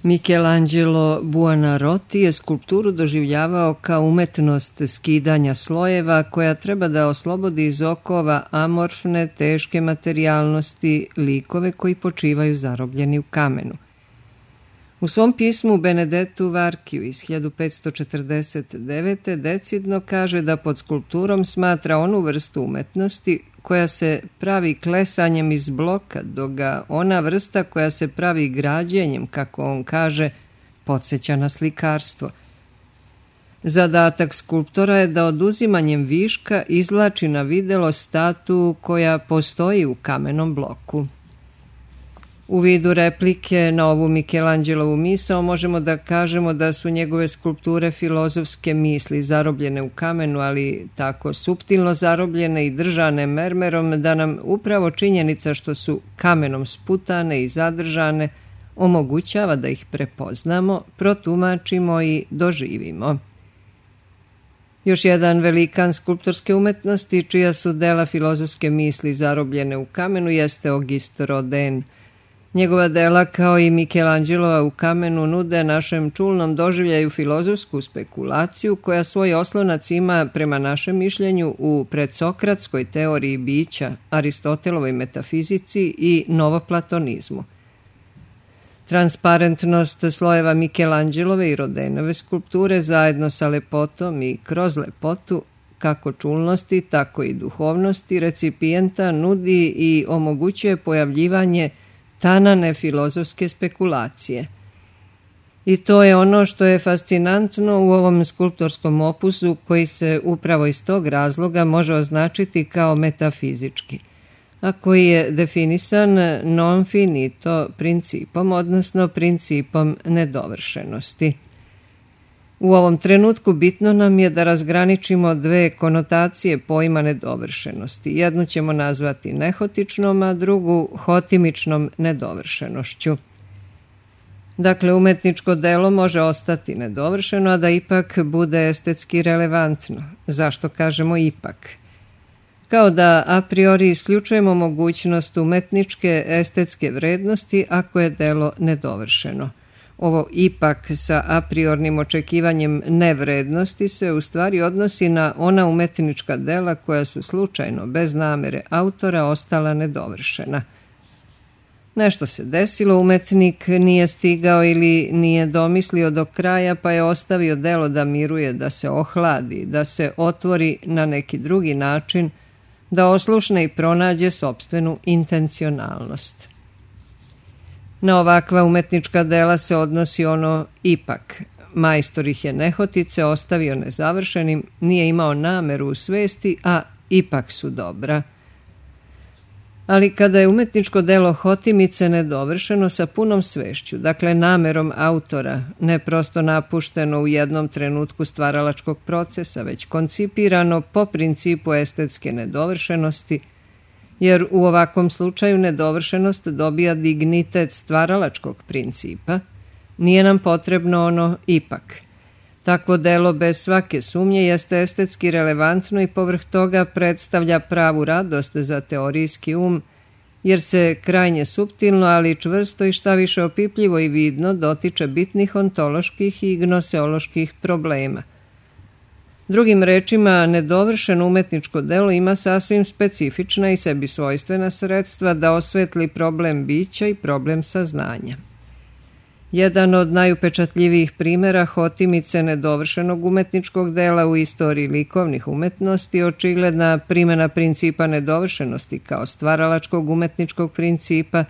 Michelangelo Buonarroti je skulpturu doživljavao kao umetnost skidanja slojeva koja treba da oslobodi iz okova amorfne, teške materijalnosti likove koji počivaju zarobljeni u kamenu. U svom pismu Benedettu Varchiju iz 1549. decidno kaže da pod skulpturom smatra onu vrstu umetnosti koja se pravi klesanjem iz bloka, dok ga ona vrsta koja se pravi građenjem, kako on kaže, podsjeća na slikarstvo. Zadatak skulptora je da oduzimanjem viška izvlači na videlo statu koja postoji u kamenom bloku. U vidu replike na ovu Michelangelovu misao možemo da kažemo da su njegove skulpture filozofske misli zarobljene u kamenu, ali tako suptilno zarobljene i držane mermerom da nam upravo činjenica što su kamenom sputane i zadržane omogućava da ih prepoznamo, protumačimo i doživimo. Još jedan velikan skulptorske umetnosti čija su dela filozofske misli zarobljene u kamenu jeste Auguste Rodin. Njegova dela, kao i Michelangelova u kamenu, nude našem čulnom doživljaju filozofsku spekulaciju koja svoj oslonac ima, prema našem mišljenju, u predsokratskoj teoriji bića, Aristotelovoj metafizici i novoplatonizmu. Transparentnost slojeva Michelangelove i Rodinove skulpture zajedno sa lepotom i kroz lepotu, kako čulnosti, tako i duhovnosti recipijenta, nudi i omogućuje pojavljivanje tanane filozofske spekulacije. I to je ono što je fascinantno u ovom skulptorskom opusu koji se upravo iz tog razloga može označiti kao metafizički, a koji je definisan non finito principom, odnosno principom nedovršenosti. U ovom trenutku bitno nam je da razgraničimo dve konotacije pojma nedovršenosti. Jednu ćemo nazvati nehotičnom, a drugu hotimičnom nedovršenošću. Dakle, umetničko delo može ostati nedovršeno, a da ipak bude estetski relevantno. Zašto kažemo ipak? Kao da a priori isključujemo mogućnost umetničke estetske vrednosti ako je delo nedovršeno. Ovo ipak sa a priornim očekivanjem nevrednosti se u stvari odnosi na ona umetnička dela koja su slučajno, bez namere autora, ostala nedovršena. Nešto se desilo, umetnik nije stigao ili nije domislio do kraja, pa je ostavio delo da miruje, da se ohladi, da se otvori na neki drugi način, da oslušne i pronađe sopstvenu intencionalnost. Na ovakva umetnička dela se odnosi ono ipak. Majstor ih je nehotice ostavio nezavršenim, nije imao nameru u svesti, a ipak su dobra. Ali kada je umetničko delo hotimice nedovršeno sa punom svešću, dakle namerom autora, ne prosto napušteno u jednom trenutku stvaralačkog procesa, već koncipirano po principu estetske nedovršenosti, jer u ovakvom slučaju nedovršenost dobija dignitet stvaralačkog principa, nije nam potrebno ono ipak. Takvo delo bez svake sumnje jeste estetski relevantno i povrh toga predstavlja pravu radost za teorijski um, jer se krajnje suptilno, ali čvrsto i šta više opipljivo i vidno dotiče bitnih ontoloških i gnoseoloških problema. Drugim rečima, nedovršeno umetničko delo ima sasvim specifična i sebi svojstvena sredstva da osvetli problem bića i problem saznanja. Jedan od najupečatljivijih primjera hotimice nedovršenog umetničkog dela u istoriji likovnih umetnosti je očigledna primjena principa nedovršenosti kao stvaralačkog umetničkog principa,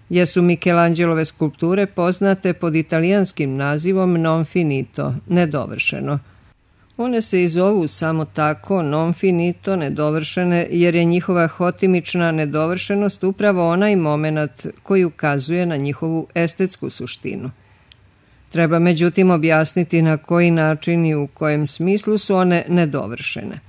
jesu Michelangelove skulpture poznate pod italijanskim nazivom non finito, nedovršeno. One se i zovu samo tako, non finito, nedovršene, jer je njihova hotimična nedovršenost upravo onaj moment koji ukazuje na njihovu estetsku suštinu. Treba međutim objasniti na koji način i u kojem smislu su one nedovršene.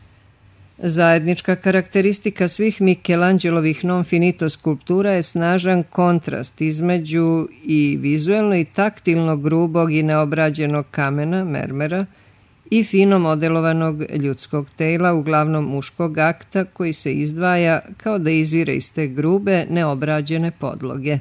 Zajednička karakteristika svih Michelangelovih non finito skulptura je snažan kontrast između i vizuelno i taktilno grubog i neobrađenog kamena, mermera, i fino modelovanog ljudskog tela, uglavnom muškog akta, koji se izdvaja kao da izvire iz te grube, neobrađene podloge.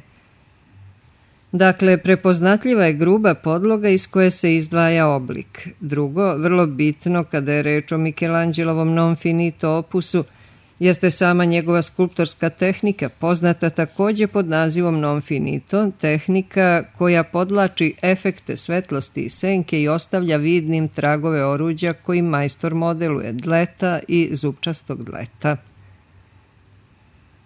Dakle, prepoznatljiva je gruba podloga iz koje se izdvaja oblik. Drugo, vrlo bitno kada je reč o Michelangelovom non finito opusu, jeste sama njegova skulptorska tehnika, poznata takođe pod nazivom non finito, tehnika koja podlači efekte svetlosti i senke i ostavlja vidnim tragove oruđa kojim majstor modeluje dleta i zupčastog dleta.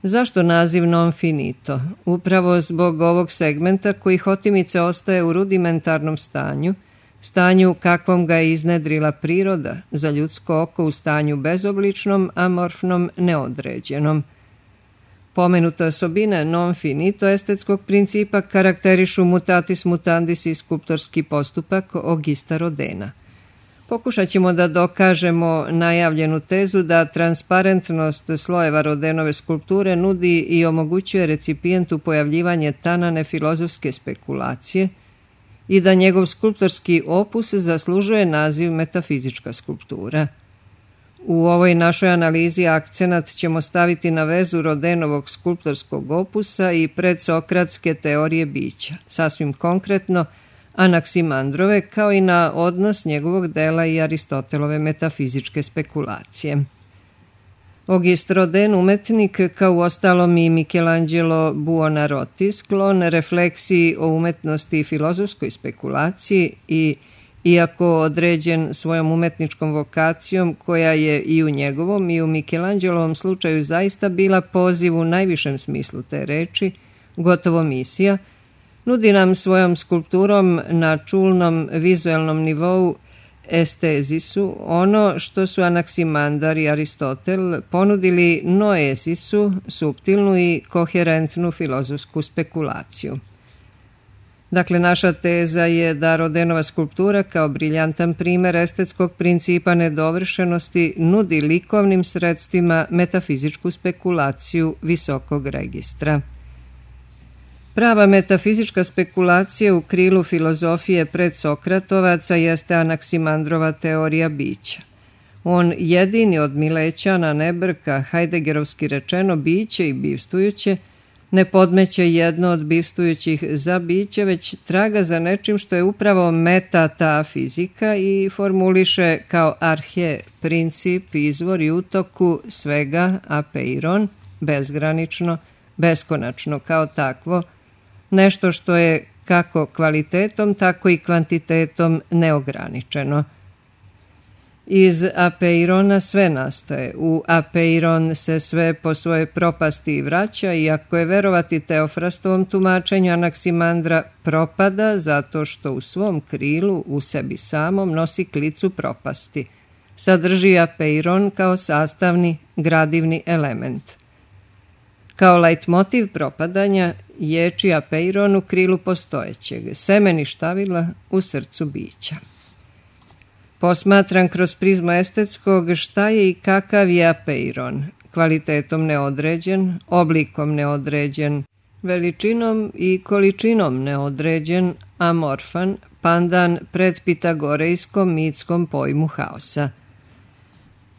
Zašto naziv non finito? Upravo zbog ovog segmenta koji hotimice ostaje u rudimentarnom stanju kakvom ga je iznedrila priroda, za ljudsko oko u stanju bezobličnom, amorfnom, neodređenom. Pomenute osobine non finito estetskog principa karakterišu mutatis mutandis i skulptorski postupak Augusta Rodina. Pokušat ćemo da dokažemo najavljenu tezu da transparentnost slojeva Rodenove skulpture nudi i omogućuje recipijentu pojavljivanje tanane filozofske spekulacije i da njegov skulptorski opus zaslužuje naziv metafizička skulptura. U ovoj našoj analizi akcenat ćemo staviti na vezu Rodenovog skulptorskog opusa i predsokratske teorije bića, sasvim konkretno Anaksimandrove, kao i na odnos njegovog dela i Aristotelove metafizičke spekulacije. Auguste Rodin, umetnik, kao uostalom i Michelangelo Buonarroti, sklon refleksiji o umetnosti i filozofskoj spekulaciji i, iako određen svojom umetničkom vokacijom, koja je i u njegovom i u Michelangelovom slučaju zaista bila poziv u najvišem smislu te reči, gotovo misija, nudi nam svojom skulpturom na čulnom vizuelnom nivou estezisu ono što su Anaksimandar i Aristotel ponudili noezisu, suptilnu i koherentnu filozofsku spekulaciju. Dakle, naša teza je da Rodenova skulptura kao briljantan primer estetskog principa nedovršenosti nudi likovnim sredstvima metafizičku spekulaciju visokog registra. Prava metafizička spekulacija u krilu filozofije predsokratovaca jeste Anaksimandrova teorija bića. On jedini od Milećana ne brka, hajdegerovski rečeno, biće i bivstvujuće, ne podmeće jedno od bivstvujućih za biće, već traga za nečim što je upravo meta fizika i formuliše kao arhe, princip, izvor i utoku svega apeiron, bezgranično, beskonačno kao takvo, nešto što je kako kvalitetom, tako i kvantitetom neograničeno. Iz apeirona sve nastaje. U apeiron se sve po svojoj propasti vraća i ako je verovati Teofrastovom tumačenju Anaksimandra, propada zato što u svom krilu, u sebi samom, nosi klicu propasti. Sadrži apeiron kao sastavni, gradivni element. Kao lajtmotiv propadanja ječi apeiron u krilu postojećeg, semeni štavila u srcu bića. Posmatran kroz prizmu estetskog, šta je i kakav je apeiron, kvalitetom neodređen, oblikom neodređen, veličinom i količinom neodređen, amorfan, pandan pred pitagorejskom mitskom pojmu haosa.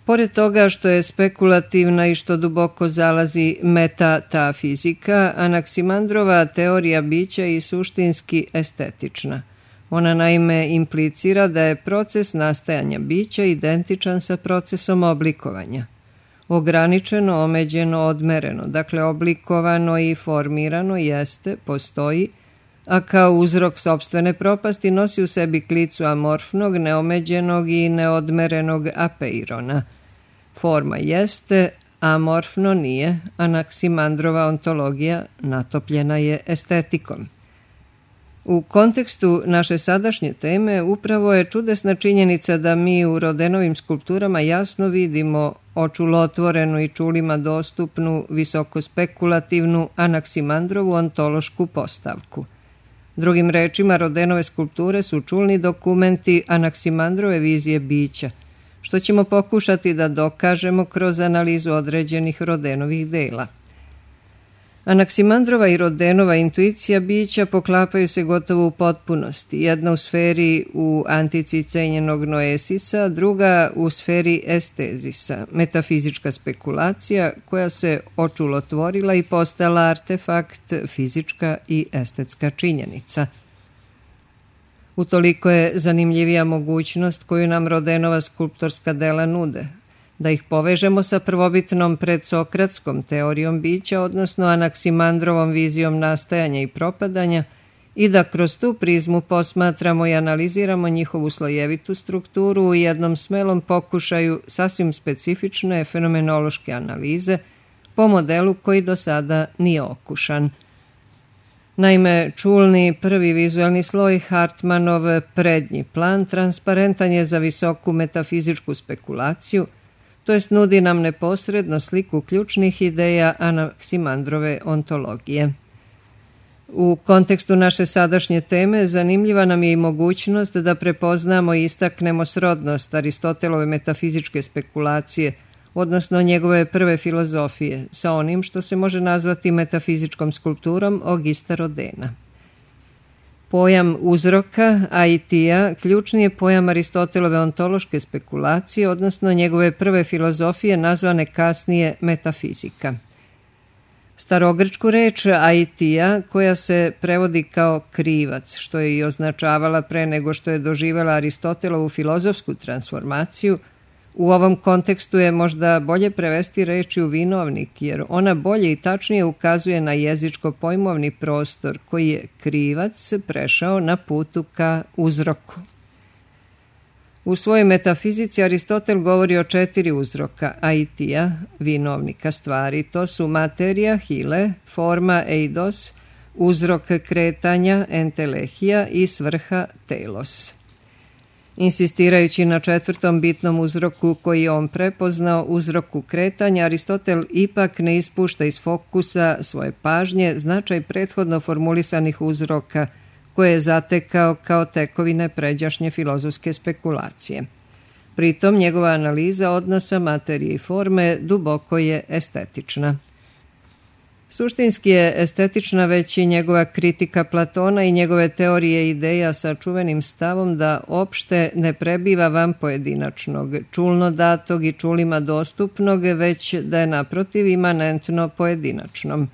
Pored toga što je spekulativna i što duboko zalazi meta fizika, Anaksimandrova teorija bića i suštinski estetična. Ona naime implicira da je proces nastajanja bića identičan sa procesom oblikovanja. Ograničeno, omeđeno, odmereno, dakle oblikovano i formirano jeste, postoji, a kao uzrok sopstvene propasti nosi u sebi klicu amorfnog, neomeđenog i neodmerenog apeirona. Forma jeste, amorfno nije, Anaksimandrova ontologija natopljena je estetikom. U kontekstu naše sadašnje teme upravo je čudesna činjenica da mi u Rodenovim skulpturama jasno vidimo očulotvorenu i čulima dostupnu, visoko spekulativnu Anaksimandrovu ontološku postavku. Drugim rečima, Rodenove skulpture su čulni dokumenti Anaksimandrove vizije bića, što ćemo pokušati da dokažemo kroz analizu određenih Rodenovih dela. Anaksimandrova i Rodenova intuicija bića poklapaju se gotovo u potpunosti. Jedna u sferi u antici cenjenog noesisa, druga u sferi estezisa, metafizička spekulacija koja se očulotvorila i postala artefakt, fizička i estetska činjenica. Utoliko je zanimljivija mogućnost koju nam Rodenova skulptorska dela nude, da ih povežemo sa prvobitnom predsokratskom teorijom bića, odnosno Anaksimandrovom vizijom nastajanja i propadanja, i da kroz tu prizmu posmatramo i analiziramo njihovu slojevitu strukturu u jednom smelom pokušaju sasvim specifične fenomenološke analize po modelu koji do sada nije okušan. Naime, čulni prvi vizualni sloj, Hartmanov prednji plan, transparentan je za visoku metafizičku spekulaciju, to jest nudi nam neposredno sliku ključnih ideja Anaksimandrove ontologije. U kontekstu naše sadašnje teme zanimljiva nam je i mogućnost da prepoznamo i istaknemo srodnost Aristotelove metafizičke spekulacije, odnosno njegove prve filozofije, sa onim što se može nazvati metafizičkom skulpturom Augusta Rodena. Pojam uzroka, aitija, ključni je pojam Aristotelove ontološke spekulacije, odnosno njegove prve filozofije nazvane kasnije metafizika. Starogrčku reč aitija, koja se prevodi kao krivac, što je i označavala pre nego što je doživjela Aristotelovu filozofsku transformaciju, u ovom kontekstu je možda bolje prevesti rečju vinovnik, jer ona bolje i tačnije ukazuje na jezičko-pojmovni prostor koji je krivac prešao na putu ka uzroku. U svojoj metafizici Aristotel govori o 4 uzroka aitija, vinovnika stvari. To su materija, hile, forma, eidos, uzrok kretanja, entelehija i svrha, telos. Insistirajući na 4. bitnom uzroku koji je on prepoznao, uzroku kretanja, Aristotel ipak ne ispušta iz fokusa svoje pažnje značaj prethodno formulisanih uzroka koje je zatekao kao tekovine pređašnje filozofske spekulacije. Pritom njegova analiza odnosa materije i forme duboko je estetična. Suštinski je estetična već i njegova kritika Platona i njegove teorije ideja sa čuvenim stavom da opšte ne prebiva van pojedinačnog, čulno datog i čulima dostupnog, već da je naprotiv imanentno pojedinačnom.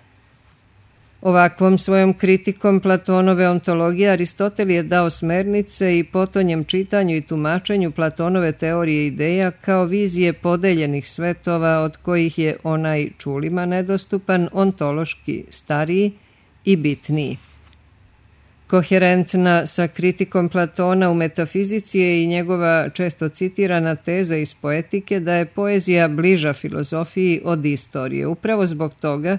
Ovakvom svojom kritikom Platonove ontologije Aristotel je dao smernice i potonjem čitanju i tumačenju Platonove teorije ideja kao vizije podeljenih svetova od kojih je onaj čulima nedostupan ontološki stariji i bitniji. Koherentna sa kritikom Platona u metafizici je i njegova često citirana teza iz poetike da je poezija bliža filozofiji od istorije, upravo zbog toga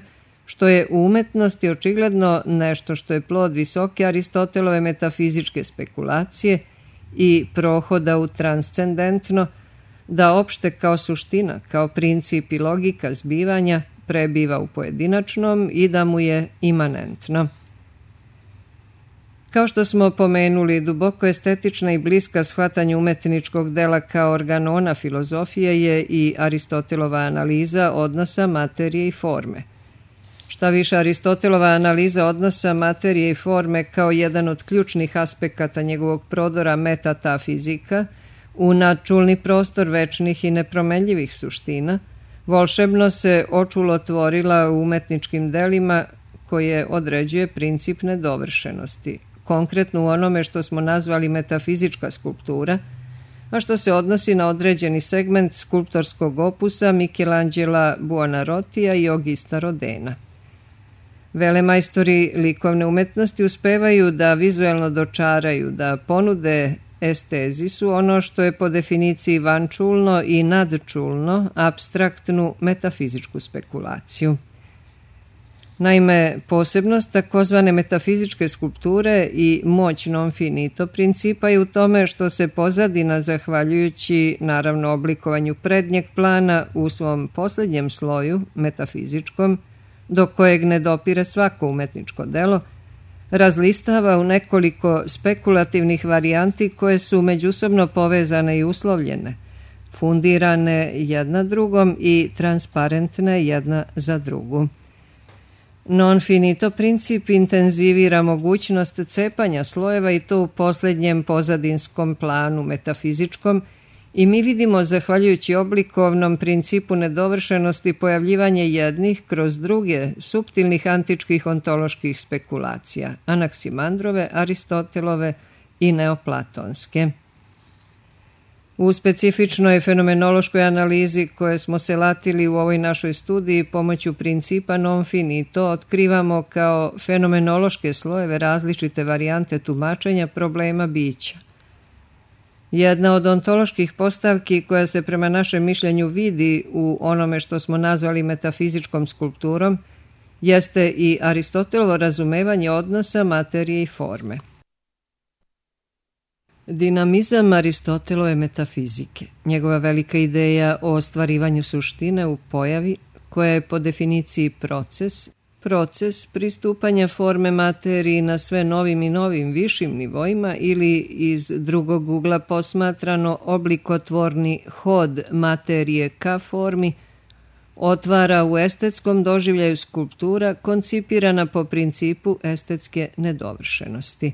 što je u umetnosti očigledno nešto što je plod visoke Aristotelove metafizičke spekulacije i prohoda u transcendentno, da opšte kao suština, kao princip i logika zbivanja prebiva u pojedinačnom i da mu je imanentno. Kao što smo pomenuli, duboko estetična i bliska shvatanju umetničkog dela kao organona filozofije je i Aristotelova analiza odnosa materije i forme. Šta više, Aristotelova analiza odnosa materije i forme kao jedan od ključnih aspekata njegovog prodora metatafizika u nadčulni prostor večnih i nepromenljivih suština, volšebno se očulotvorila u umetničkim delima koje određuje princip nedovršenosti, konkretno u onome što smo nazvali metafizička skulptura, a što se odnosi na određeni segment skulptorskog opusa Michelangela Buonarrotija i Augusta Rodena. Velemajstori likovne umetnosti uspevaju da vizuelno dočaraju, da ponude estezisu ono što je po definiciji vančulno i nadčulno, apstraktnu metafizičku spekulaciju. Naime, posebnost takozvane metafizičke skulpture i moć non finito principa je u tome što se pozadina, zahvaljujući naravno oblikovanju prednjeg plana u svom posljednjem sloju, metafizičkom, do kojeg ne dopire svako umetničko delo, razlistava u nekoliko spekulativnih varijanti koje su međusobno povezane i uslovljene, fundirane jedna drugom i transparentne jedna za drugu. Non finito princip intenzivira mogućnost cepanja slojeva i to u posljednjem pozadinskom planu metafizičkom i mi vidimo, zahvaljujući oblikovnom principu nedovršenosti, pojavljivanje jednih kroz druge suptilnih antičkih ontoloških spekulacija, Anaksimandrove, Aristotelove i neoplatonske. U specifičnoj fenomenološkoj analizi koje smo se latili u ovoj našoj studiji pomoću principa non finito otkrivamo kao fenomenološke slojeve različite varijante tumačenja problema bića. Jedna od ontoloških postavki koja se prema našem mišljenju vidi u onome što smo nazvali metafizičkom skulpturom jeste i Aristotelovo razumevanje odnosa materije i forme. Dinamizam Aristotelove metafizike, njegova velika ideja o ostvarivanju suštine u pojavi, koja je po definiciji proces pristupanja forme materiji na sve novim i novim višim nivoima ili iz drugog ugla posmatrano oblikotvorni hod materije ka formi, otvara u estetskom doživljaju skulptura koncipirana po principu estetske nedovršenosti.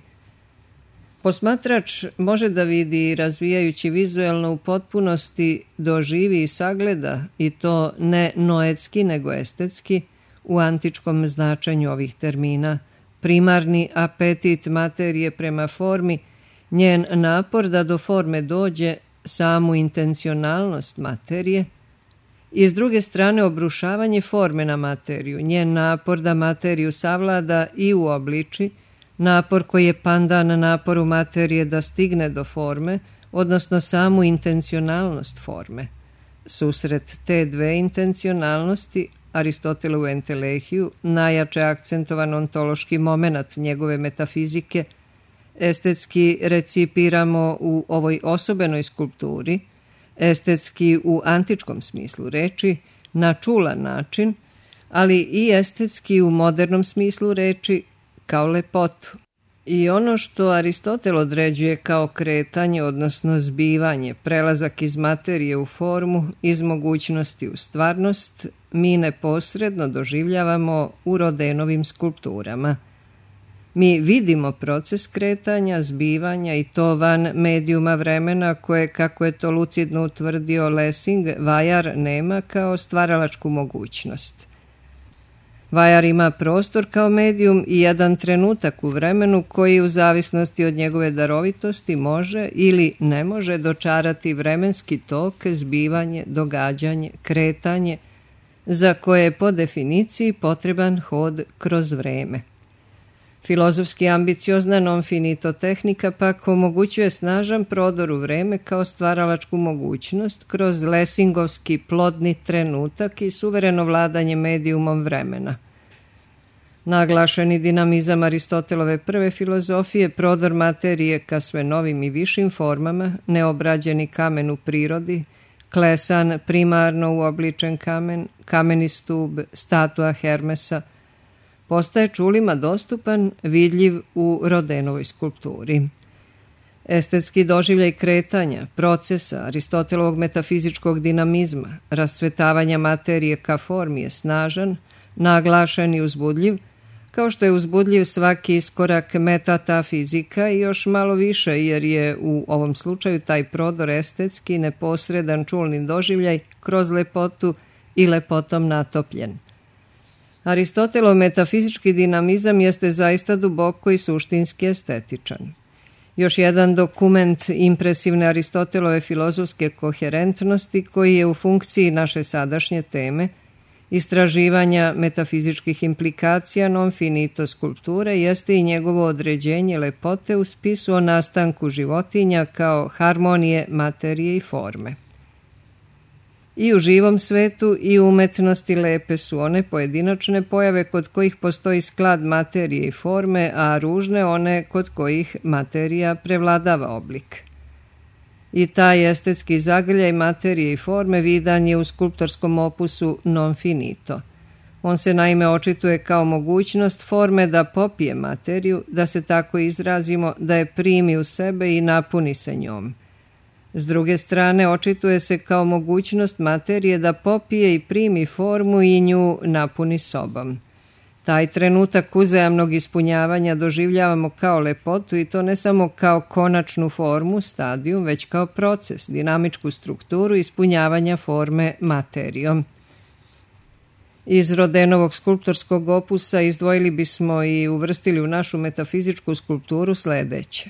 Posmatrač može da vidi, razvijajući vizuelno u potpunosti, doživi i sagleda, i to ne noetski nego estetski, u antičkom značenju ovih termina, primarni apetit materije prema formi, njen napor da do forme dođe, samu intencionalnost materije, i s druge strane obrušavanje forme na materiju, njen napor da materiju savlada i uobliči, napor koji je pandan naporu materije da stigne do forme, odnosno samu intencionalnost forme. Susret te dve intencionalnosti, Aristotelovu entelehiju, najjače akcentovan ontološki moment njegove metafizike, estetski recipiramo u ovoj osobenoj skulpturi, estetski u antičkom smislu reči, na čulan način, ali i estetski u modernom smislu reči, kao lepotu. I ono što Aristotel određuje kao kretanje, odnosno zbivanje, prelazak iz materije u formu, iz mogućnosti u stvarnost, mi neposredno doživljavamo u Rodenovim skulpturama. Mi vidimo proces kretanja, zbivanja i to van medijuma vremena koje, kako je to lucidno utvrdio Lessing, vajar nema kao stvaralačku mogućnost. Vajar ima prostor kao medijum i jedan trenutak u vremenu koji u zavisnosti od njegove darovitosti može ili ne može dočarati vremenski tok, zbivanje, događanje, kretanje, za koje je po definiciji potreban hod kroz vreme. Filozofski ambiciozna non finito tehnika pak omogućuje snažan prodor u vreme kao stvaralačku mogućnost kroz lesingovski plodni trenutak i suvereno vladanje medijumom vremena. Naglašeni dinamizam Aristotelove prve filozofije, prodor materije ka sve novim i višim formama, neobrađeni kamen u prirodi, klesan primarno uobličen kamen, kameni stub, statua Hermesa, postaje čulima dostupan, vidljiv u Rodenovoj skulpturi. Estetski doživljaj kretanja, procesa Aristotelovog metafizičkog dinamizma, rascvetavanja materije ka formi je snažan, naglašen i uzbudljiv, kao što je uzbudljiv svaki iskorak metatafizika i još malo više, jer je u ovom slučaju taj prodor estetski, neposredan čulni doživljaj kroz lepotu i lepotom natopljen. Aristotelov metafizički dinamizam jeste zaista duboko i suštinski estetičan. Još jedan dokument impresivne Aristotelove filozofske koherentnosti koji je u funkciji naše sadašnje teme, istraživanja metafizičkih implikacija non finito skulpture, jeste i njegovo određenje lepote u spisu o nastanku životinja kao harmonije materije i forme. I u živom svetu i u umetnosti lepe su one pojedinačne pojave kod kojih postoji sklad materije i forme, a ružne one kod kojih materija prevladava oblik. I taj estetski zagrljaj materije i forme vidan je u skulptorskom opusu non finito. On se naime očituje kao mogućnost forme da popije materiju, da se tako izrazimo, da je primi u sebe i napuni se njom. S druge strane, očituje se kao mogućnost materije da popije i primi formu i nju napuni sobom. Taj trenutak uzajamnog ispunjavanja doživljavamo kao lepotu i to ne samo kao konačnu formu, stadijum, već kao proces, dinamičku strukturu ispunjavanja forme materijom. Iz Rodénovog skulptorskog opusa izdvojili bismo i uvrstili u našu metafizičku skulpturu sledeće.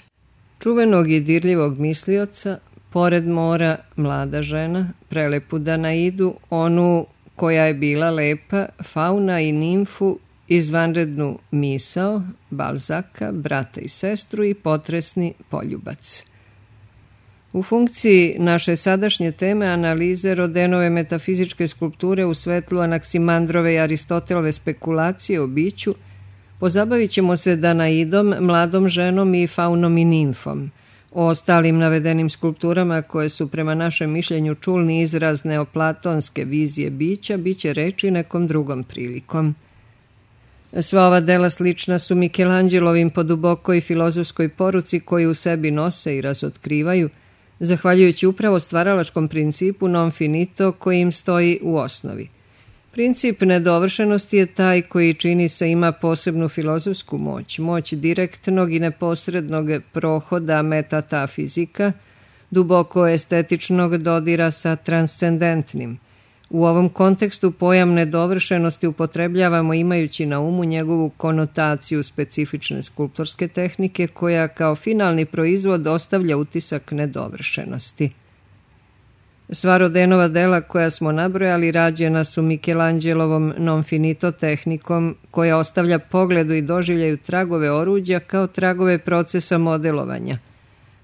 Čuvenog i dirljivog mislioca, pored mora mlada žena, prelepu Danaidu, onu koja je bila lepa, fauna i nimfu, izvanrednu misao, Balzaka, brata i sestru i potresni poljubac. U funkciji naše sadašnje teme analize Rodénove metafizičke skulpture u svetlu Anaksimandrove i Aristotelove spekulacije o biću, pozabavit ćemo se Danaidom, mladom ženom i faunom i nimfom. O ostalim navedenim skulpturama koje su prema našem mišljenju čulni izraz neoplatonske vizije bića, bit će reči nekom drugom prilikom. Sva ova dela slična su Mikelanđelovim po dubokoj filozofskoj poruci koju u sebi nose i razotkrivaju, zahvaljujući upravo stvaralačkom principu non finito koji im stoji u osnovi. Princip nedovršenosti je taj koji čini se ima posebnu filozofsku moć, moć direktnog i neposrednog prohoda metatafizika, duboko estetičnog dodira sa transcendentnim. U ovom kontekstu pojam nedovršenosti upotrebljavamo imajući na umu njegovu konotaciju specifične skulptorske tehnike koja kao finalni proizvod ostavlja utisak nedovršenosti. Sva Rodénova dela koja smo nabrojali rađena su Mikelanđelovom non finito tehnikom koja ostavlja pogledu i doživljaju tragove oruđa kao tragove procesa modelovanja,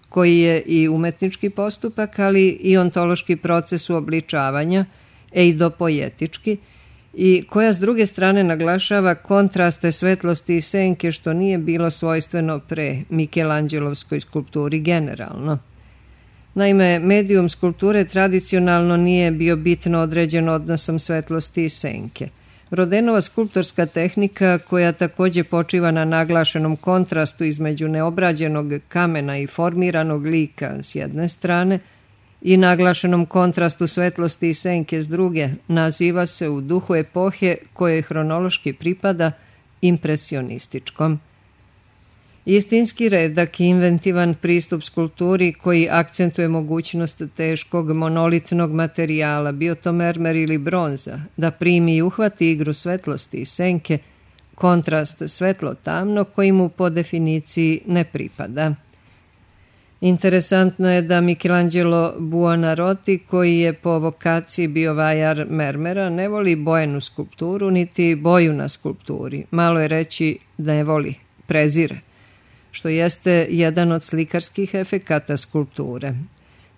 koji je i umetnički postupak, ali i ontološki proces uobličavanja, eidopoetički, i koja s druge strane naglašava kontraste svetlosti i senke što nije bilo svojstveno pre Mikelanđelovskoj skulpturi generalno. Naime, medijum skulpture tradicionalno nije bio bitno određen odnosom svetlosti i senke. Rodénova skulptorska tehnika, koja takođe počiva na naglašenom kontrastu između neobrađenog kamena i formiranog lika s jedne strane i naglašenom kontrastu svetlosti i senke s druge, naziva se u duhu epohe kojoj hronološki pripada impresionističkom. Istinski redak i inventivan pristup skulpturi koji akcentuje mogućnost teškog monolitnog materijala, bio to mermer ili bronza, da primi i uhvati igru svetlosti i senke, kontrast svetlo-tamno koji mu po definiciji ne pripada. Interesantno je da Michelangelo Buonarroti, koji je po vokaciji bio vajar mermera, ne voli bojenu skulpturu niti boju na skulpturi. Malo je reći da ne voli, prezire, što jeste jedan od slikarskih efekata skulpture.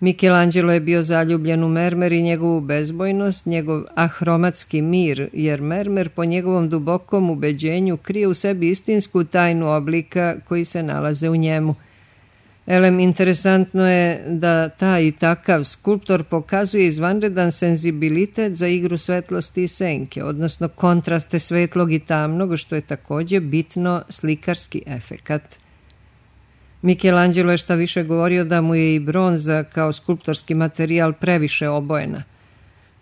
Michelangelo je bio zaljubljen u mermer i njegovu bezbojnost, njegov ahromatski mir, jer mermer po njegovom dubokom ubeđenju krije u sebi istinsku tajnu oblika koji se nalaze u njemu. Interesantno je da taj i takav skulptor pokazuje izvanredan senzibilitet za igru svetlosti i senke, odnosno kontraste svetlog i tamnog, što je takođe bitno slikarski efekat. Michelangelo je šta više govorio da mu je i bronza kao skulptorski materijal previše obojena.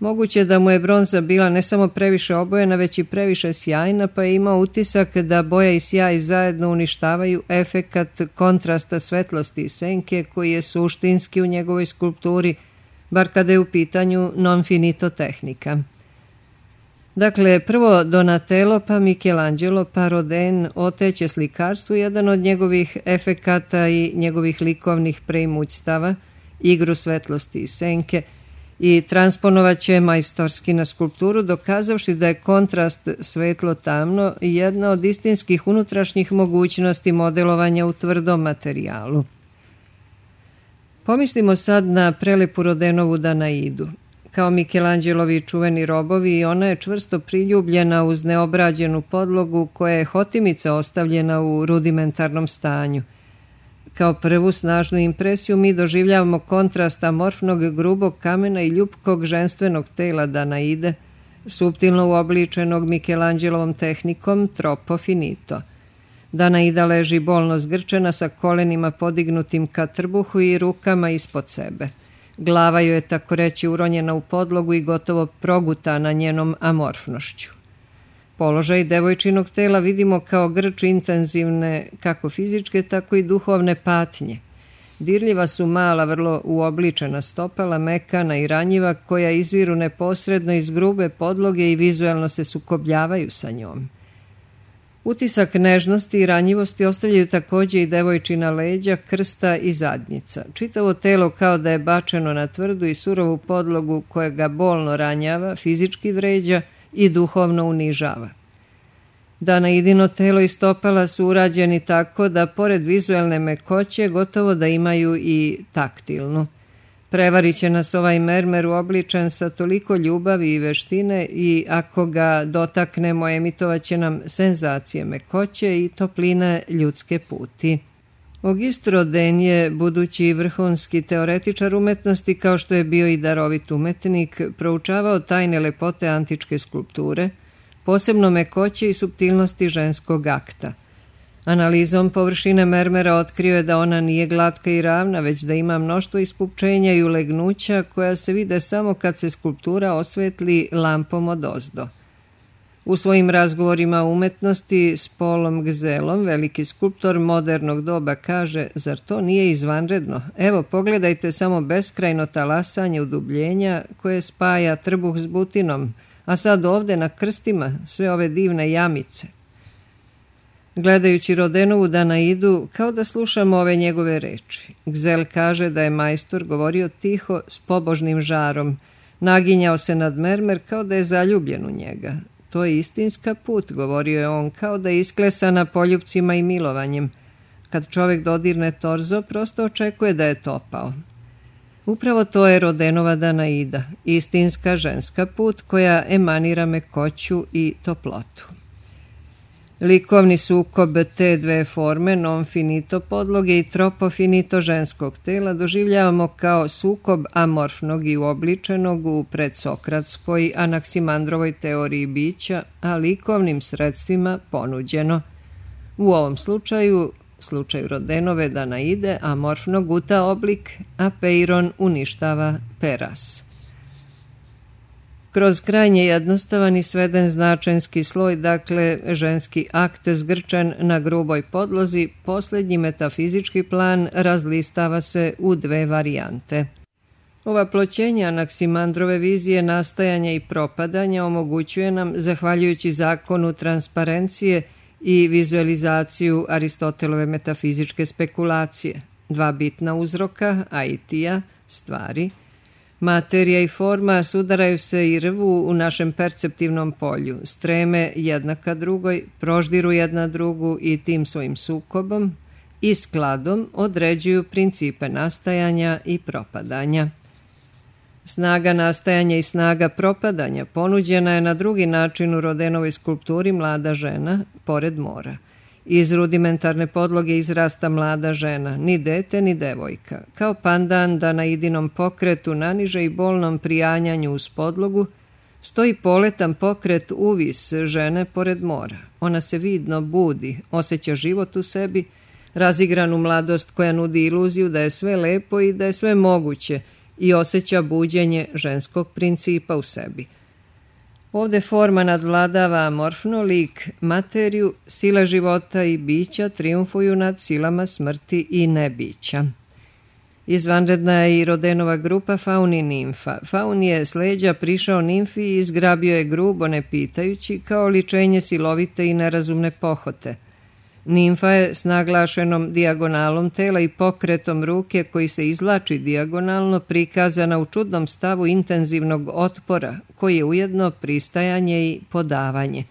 Moguće da mu je bronza bila ne samo previše obojena, već i previše sjajna, pa je imao utisak da boja i sjaj zajedno uništavaju efekat kontrasta svetlosti i senke koji je suštinski u njegovoj skulpturi, bar kada je u pitanju non finito tehnika. Dakle, prvo Donatello, pa Michelangelo, pa Rodin oteće slikarstvu jedan od njegovih efekata i njegovih likovnih preimućstava, igru svetlosti i senke, i transponovaće majstorski na skulpturu, dokazavši da je kontrast svetlo-tamno jedna od istinskih unutrašnjih mogućnosti modelovanja u tvrdom materijalu. Pomislimo sad na prelepu Rodénovu Danaidu. Kao Michelangelovi čuveni robovi, i ona je čvrsto priljubljena uz neobrađenu podlogu koja je hotimica ostavljena u rudimentarnom stanju. Kao prvu snažnu impresiju mi doživljavamo kontrast amorfnog grubog kamena i ljupkog ženstvenog tela Danaide, suptilno uobličenog Michelangelovom tehnikom troppo finito. Danaida leži bolno zgrčena sa kolenima podignutim ka trbuhu i rukama ispod sebe. Glava joj je tako reći uronjena u podlogu i gotovo progutana njenom amorfnošću. Položaj devojčinog tela vidimo kao grč intenzivne kako fizičke, tako i duhovne patnje. Dirljiva su mala, vrlo uobličena stopala, mekana i ranjiva, koja izviru neposredno iz grube podloge i vizuelno se sukobljavaju sa njom. Utisak nežnosti i ranjivosti ostavljaju također i devojčina leđa, krsta i zadnjica. Čitavo telo kao da je bačeno na tvrdu i surovu podlogu koja ga bolno ranjava, fizički vređa i duhovno unižava. Danaidino telo i stopala su urađeni tako da pored vizuelne mekoće gotovo da imaju i taktilnu. Prevarit će nas ovaj mermer uobličen sa toliko ljubavi i veštine i ako ga dotaknemo emitovat će nam senzacije mekoće i topline ljudske puti. Auguste Rodin je, budući vrhunski teoretičar umetnosti kao što je bio i darovit umetnik, proučavao tajne lepote antičke skulpture, posebno mekoće i suptilnosti ženskog akta. Analizom površine mermera otkrio je da ona nije glatka i ravna, već da ima mnoštvo ispupčenja i ulegnuća koja se vide samo kad se skulptura osvetli lampom odozdo. U svojim razgovorima o umetnosti s Paulom Gzelom, veliki skulptor modernog doba kaže: zar to nije izvanredno? Evo, pogledajte samo beskrajno talasanje udubljenja koje spaja trbuh s butinom, a sad ovdje na krstima sve ove divne jamice. Gledajući Rodenovu Danaidu, kao da slušamo ove njegove reči. Gzel kaže da je majstor govorio tiho s pobožnim žarom, naginjao se nad mermer kao da je zaljubljen u njega. To je istinska put, govorio je on, kao da je isklesana poljupcima i milovanjem. Kad čovjek dodirne torzo, prosto očekuje da je topao. Upravo to je Rodenova Danaida, istinska ženska put koja emanira mekoću i toplotu. Likovni sukob te dve forme, non finito podloge i tropo finito ženskog tela, doživljavamo kao sukob amorfnog i uobličenog u predsokratskoj Anaksimandrovoj teoriji bića, a likovnim sredstvima ponuđeno. U ovom slučaju Rodenove Danaide, amorfno guta oblik, a Peiron uništava Peras. Kroz krajnje jednostavan i sveden značenski sloj, dakle ženski akt zgrčen na gruboj podlozi, posljednji metafizički plan razlistava se u dve varijante. Ova ploćenja Anaksimandrove vizije nastajanja i propadanja omogućuje nam, zahvaljujući zakonu transparencije i vizualizaciju Aristotelove metafizičke spekulacije, dva bitna uzroka, aitija, stvari. Materija i forma sudaraju se i rvu u našem perceptivnom polju, streme jedna ka drugoj, proždiru jedna drugu i tim svojim sukobom i skladom određuju principe nastajanja i propadanja. Snaga nastajanja i snaga propadanja ponuđena je na drugi način u Rodenovoj skulpturi Mlada žena pored mora. Iz rudimentarne podloge izrasta mlada žena, ni dete ni devojka. Kao pandan Danaidinom pokretu naniže i bolnom prijanjanju uz podlogu, stoji poletan pokret uvis žene pored mora. Ona se vidno budi, osjeća život u sebi, razigranu mladost koja nudi iluziju da je sve lepo i da je sve moguće i osjeća buđenje ženskog principa u sebi. Ovdje forma nadvladava amorfno, lik, materiju, sile života i bića triumfuju nad silama smrti i nebića. Izvanredna je i Rodenova grupa Faun i Nimfa. Faun je s leđa prišao Nimfi i izgrabio je grubo ne pitajući kao ličenje silovite i nerazumne pohote. Nimfa je s naglašenom dijagonalom tela i pokretom ruke koji se izvlači dijagonalno prikazana u čudnom stavu intenzivnog otpora koji je ujedno pristajanje i podavanje.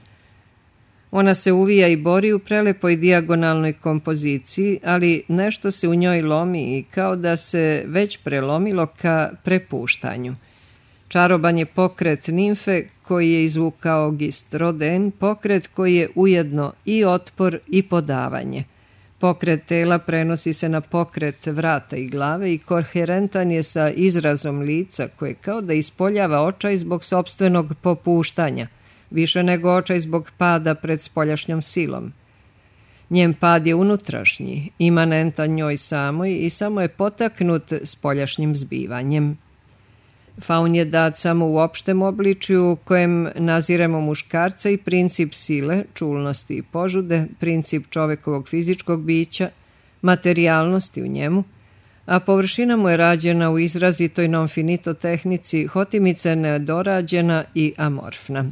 Ona se uvija i bori u prelepoj dijagonalnoj kompoziciji, ali nešto se u njoj lomi i kao da se već prelomilo ka prepuštanju. Čaroban je pokret nimfe koji je izvukao Auguste Rodin, pokret koji je ujedno i otpor i podavanje. Pokret tela prenosi se na pokret vrata i glave i koherentan je sa izrazom lica koje kao da ispoljava očaj zbog sopstvenog popuštanja, više nego očaj zbog pada pred spoljašnjom silom. Njen pad je unutrašnji, imanentan njoj samoj i samo je potaknut spoljašnjim zbivanjem. Faun je dat samo u opštem obličju kojem naziremo muškarca i princip sile, čulnosti i požude, princip čovekovog fizičkog bića, materijalnosti u njemu, a površina mu je rađena u izrazitoj non finito tehnici, hotimice nedorađena i amorfna.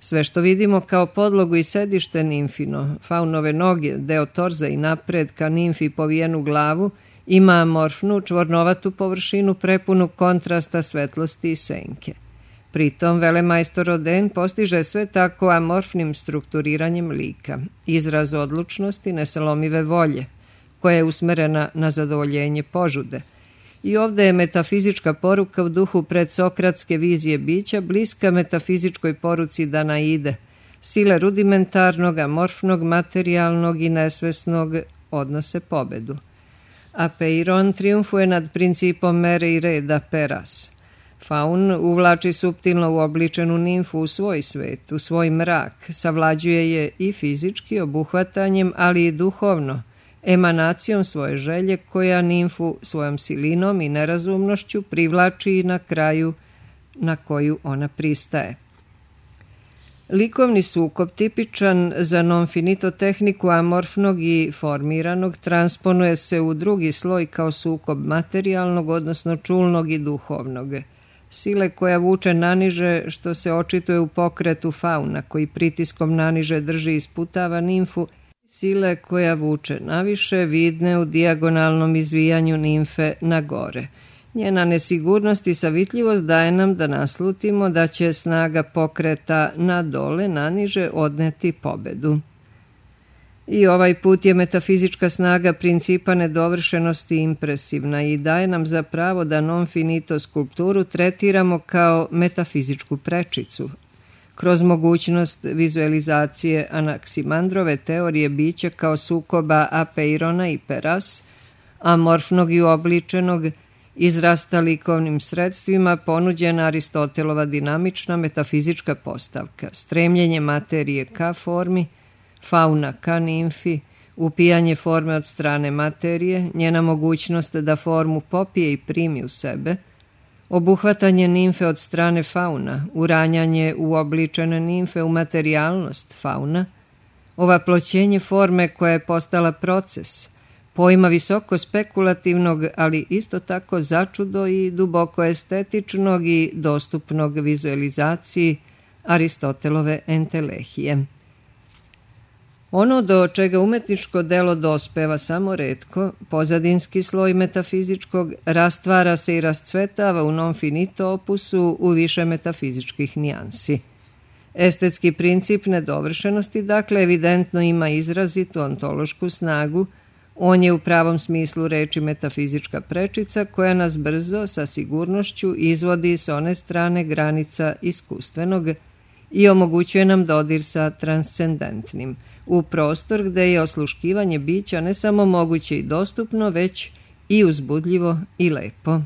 Sve što vidimo kao podlogu i sedište nimfino, faunove noge, deo torza i napred ka nimfi povijenu glavu, ima amorfnu, čvornovatu površinu prepunu kontrasta svetlosti i senke. Pritom velemajstor Rodin postiže sve tako amorfnim strukturiranjem lika, izraz odlučnosti, nesalomive volje, koja je usmerena na zadovoljenje požude. I ovde je metafizička poruka u duhu predsokratske vizije bića bliska metafizičkoj poruci Danaide, sile rudimentarnog, amorfnog, materijalnog i nesvesnog odnose pobedu. Apeiron triumfuje nad principom mere i reda Peras. Faun uvlači suptilno uobličenu nimfu u svoj svet, u svoj mrak, savlađuje je i fizički obuhvatanjem, ali i duhovno, emanacijom svoje želje koja nimfu svojom silinom i nerazumnošću privlači na kraju na koju ona pristaje. Likovni sukob, tipičan za non-finito tehniku amorfnog i formiranog, transponuje se u drugi sloj kao sukob materijalnog, odnosno čulnog i duhovnog. Sile koja vuče naniže, što se očituje u pokretu fauna, koji pritiskom naniže drži i isputava nimfu, sile koja vuče naviše, vidne u dijagonalnom izvijanju nimfe na gore. Njena nesigurnost i savitljivost daje nam da naslutimo da će snaga pokreta na dole, naniže, odneti pobedu. I ovaj put je metafizička snaga principa nedovršenosti impresivna i daje nam za pravo da non-finito skulpturu tretiramo kao metafizičku prečicu, kroz mogućnost vizualizacije Anaksimandrove teorije bića kao sukoba Apeirona i Peras, amorfnog i uobličenog, izrasta likovnim sredstvima ponuđena Aristotelova dinamična metafizička postavka, stremljenje materije ka formi, fauna ka nimfi, upijanje forme od strane materije, njena mogućnost da formu popije i primi u sebe, obuhvatanje nimfe od strane fauna, uranjanje uobličene nimfe u materijalnost fauna, ovaploćenje forme koja je postala proces, pojma visoko spekulativnog, ali isto tako začudo i duboko estetičnog i dostupnog vizualizaciji Aristotelove entelehije. Ono do čega umetničko delo dospeva samo retko, pozadinski sloj metafizičkog, rastvara se i rascvetava u non-finito opusu u više metafizičkih nijansi. Estetski princip nedovršenosti, dakle, evidentno ima izrazitu ontološku snagu. On je u pravom smislu reči metafizička prečica koja nas brzo, sa sigurnošću, izvodi s one strane granica iskustvenog i omogućuje nam dodir sa transcendentnim, u prostor gde je osluškivanje bića ne samo moguće i dostupno, već i uzbudljivo i lepo.